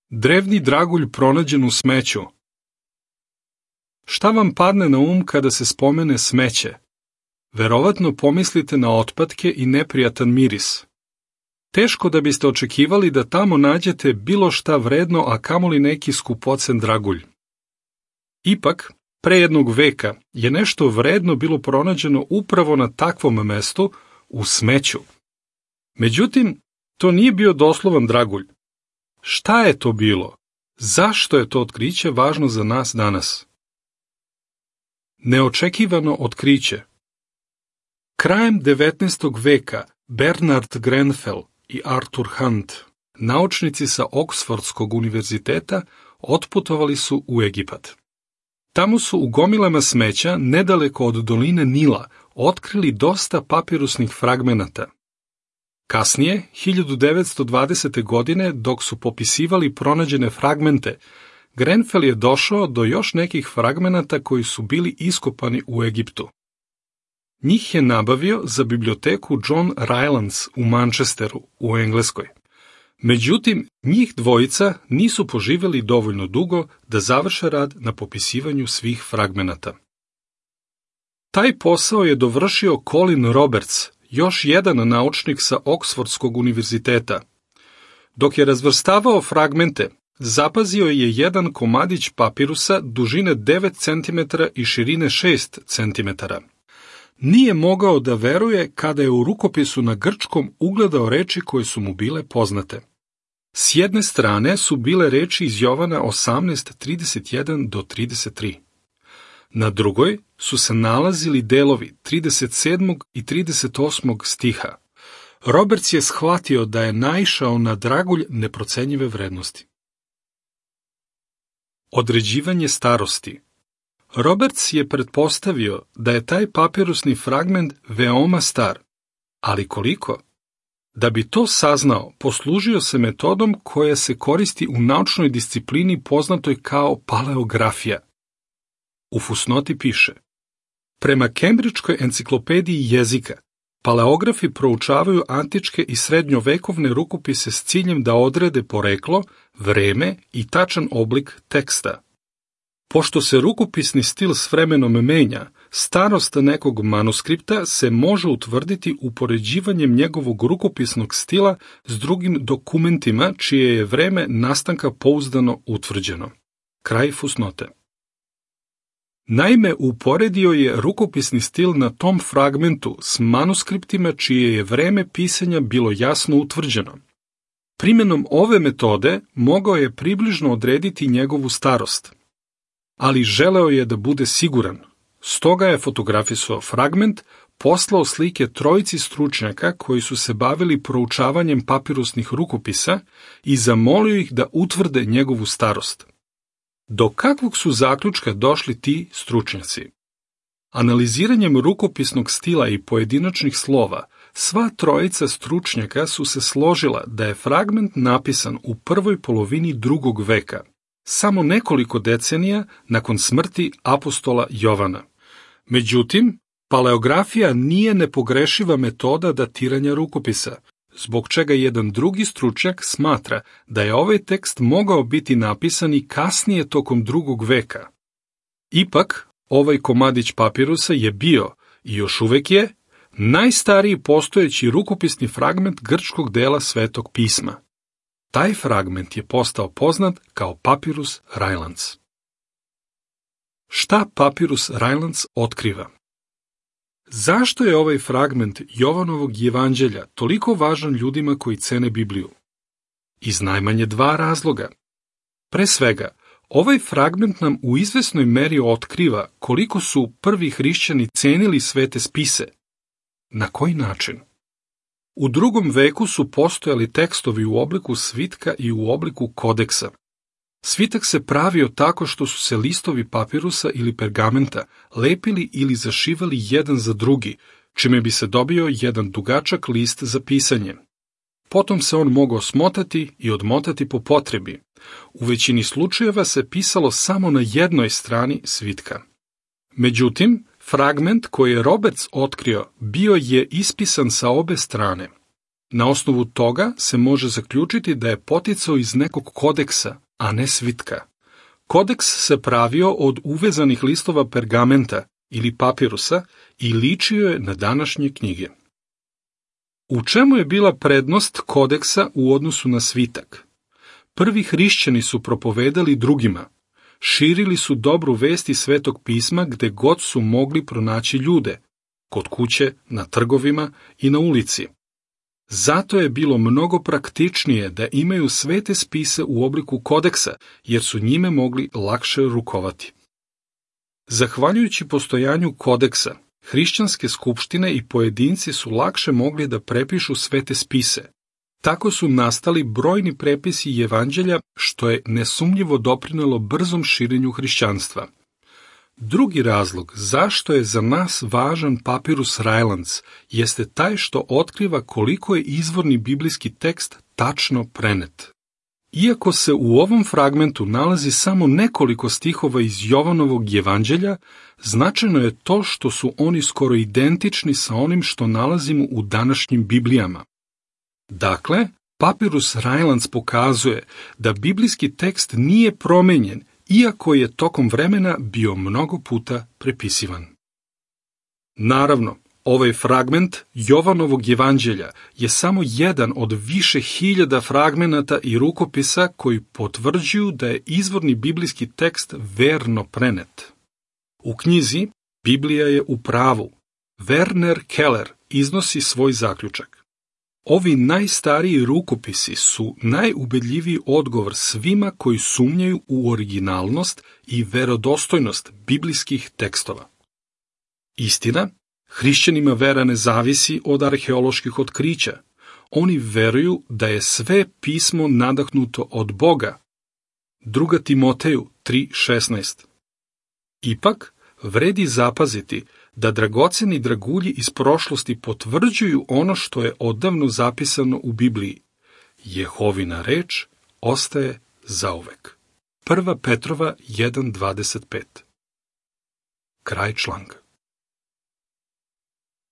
Drevni dragulj pronađen u smeću. Šta vam padne na kada se spomene smeće? Verovatno pomislite na otpadke i neprijatan miris. Teško da biste očekivali da tamo nađete bilo šta vredno, a kamoli neki skupocen dragulj. Ipak, pre jednog veka je nešto vredno bilo pronađeno upravo na takvom mestu, u smeću. Međutim, to nije bio doslovan dragulj. Šta je to bilo? Zašto je to otkriće važno za nas danas? Neočekivano otkriće. Krajem 19. veka Bernard Grenfell i Arthur Hunt, naučnici sa Oksfordskog univerziteta, otputovali su u Egipat. Tamo su u gomilama smeća, nedaleko od doline Nila, otkrili dosta papirusnih fragmenata. Kasnije, 1920. godine, dok su popisivali pronađene fragmente, Grenfell je došao do još nekih fragmenata koji su bili iskopani u Egiptu. Njih je nabavio za biblioteku John Rylands u Manchesteru, u Engleskoj. Međutim, njih dvojica nisu poživjeli dovoljno dugo da završe rad na popisivanju svih fragmenata. Taj posao je dovršio Colin Roberts, još jedan naučnik sa Oksfordskog univerziteta. Dok je razvrstavao fragmente, zapazio je jedan komadić papirusa dužine 9 cm i širine 6 cm. Nije mogao da veruje kada je u rukopisu na grčkom ugledao reči koje su mu bile poznate. S jedne strane su bile reči iz Jovana 18:31 do 33. Na drugoj su se nalazili delovi 37. i 38. stiha. Roberts je shvatio da je naišao na dragulj neprocenjive vrednosti. Određivanje starosti. Roberts je pretpostavio da je taj papirusni fragment veoma star, ali koliko? Da bi to saznao, poslužio se metodom koja se koristi u naučnoj disciplini poznatoj kao paleografija. U fusnoti piše: prema Kembridžkoj enciklopediji jezika, paleografi proučavaju antičke i srednjovekovne rukopise s ciljem da odrede poreklo, vreme i tačan oblik teksta. Pošto se rukopisni stil s vremenom menja, starost nekog manuskripta se može utvrditi upoređivanjem njegovog rukopisnog stila s drugim dokumentima čije je vreme nastanka pouzdano utvrđeno. Kraj fusnote. Naime, uporedio je rukopisni stil na tom fragmentu s manuskriptima čije je vreme pisanja bilo jasno utvrđeno. Primjenom ove metode mogao je približno odrediti njegovu starost. Ali želeo je da bude siguran, stoga je fotografisao fragment, poslao slike trojici stručnjaka koji su se bavili proučavanjem papirusnih rukopisa i zamolio ih da utvrde njegovu starost. Do kakvog su zaključka došli ti stručnjaci? Analiziranjem rukopisnog stila i pojedinačnih slova, sva trojica stručnjaka su se složila da je fragment napisan u prvoj polovini 2. veka, samo nekoliko decenija nakon smrti apostola Jovana. Međutim, paleografija nije nepogrešiva metoda datiranja rukopisa, zbog čega jedan drugi stručnjak smatra da je ovaj tekst mogao biti napisan i kasnije tokom 2. veka. Ipak, ovaj komadić papirusa je bio, i još uvek je, najstariji postojeći rukopisni fragment grčkog dela Svetog pisma. Taj fragment je postao poznat kao Papirus Rylands. Šta Papirus Rylands otkriva? Zašto je ovaj fragment Jovanovog evanđelja toliko važan ljudima koji cene Bibliju? Iz najmanje 2 razloga. Pre svega, ovaj fragment nam u izvesnoj meri otkriva koliko su prvi hrišćani cenili svete spise. Na koji način? U 2. veku su postojali tekstovi u obliku svitka i u obliku kodeksa. Svitak se pravio tako što su se listovi papirusa ili pergamenta lepili ili zašivali jedan za drugi, čime bi se dobio jedan dugačak list za pisanje. Potom se on mogao smotati i odmotati po potrebi. U većini slučajeva se pisalo samo na jednoj strani svitka. Međutim, fragment koji je Roberts otkrio bio je ispisan sa obe strane. Na osnovu toga se može zaključiti da je poticao iz nekog kodeksa, a ne svitka. Kodeks se pravio od uvezanih listova pergamenta ili papirusa i ličio je na današnje knjige. U čemu je bila prednost kodeksa u odnosu na svitak? Prvi hrišćani su propovedali drugima, širili su dobru vest iz Svetog pisma gde god su mogli pronaći ljude, kod kuće, na trgovima i na ulici. Zato je bilo mnogo praktičnije da imaju svete spise u obliku kodeksa, jer su njime mogli lakše rukovati. Zahvaljujući postojanju kodeksa, hrišćanske skupštine i pojedinci su lakše mogli da prepišu svete spise. Tako su nastali brojni prepisi evanđelja, što je nesumnjivo doprinelo brzom širenju hrišćanstva. Drugi razlog zašto je za nas važan Papyrus Rajlands jeste taj što otkriva koliko je izvorni biblijski tekst tačno prenet. Iako se u ovom fragmentu nalazi samo nekoliko stihova iz Jovanovog evanđelja, značajno je to što su oni skoro identični sa onim što nalazimo u današnjim Biblijama. Dakle, Papyrus Rajlands pokazuje da biblijski tekst nije promenjen, iako je tokom vremena bio mnogo puta prepisivan. Naravno, ovaj fragment Jovanovog evanđelja je samo jedan od više hiljada fragmenata i rukopisa koji potvrđuju da je izvorni biblijski tekst verno prenet. U knjizi Biblija je u pravu. Werner Keller iznosi svoj zaključak. Ovi najstariji rukopisi su najubedljiviji odgovor svima koji sumnjaju u originalnost i verodostojnost biblijskih tekstova. Istina, hrišćanima vera ne zavisi od arheoloških otkrića. Oni veruju da je sve pismo nadahnuto od Boga. 2. Timoteju 3:16. Ipak, vredi zapaziti da dragoceni dragulji iz prošlosti potvrđuju ono što je odavno zapisano u Bibliji. Jehovina reč ostaje zauvek. 1. Petrova 1:25. Kraj članka.